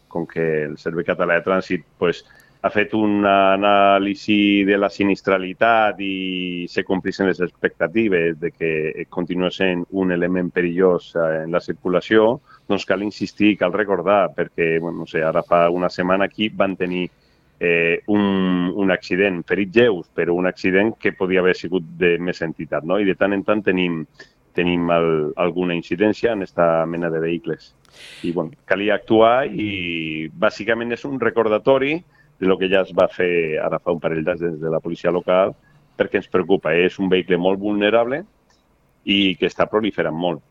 com que el Servei Català de Trànsit ha fet una anàlisi de la sinistralitat i se complissin les expectatives de que continua sent un element perillós en la circulació, doncs cal insistir, cal recordar, perquè no sé, ara fa una setmana aquí van tenir un accident, ferits lleus, però un accident que podia haver sigut de més entitat, no? I de tant en tant tenim alguna incidència en aquesta mena de vehicles. I calia actuar i bàsicament és un recordatori de lo que ja es va fer ara fa un parell d'anys des de la policia local, perquè ens preocupa. És un vehicle molt vulnerable i que està proliferant molt.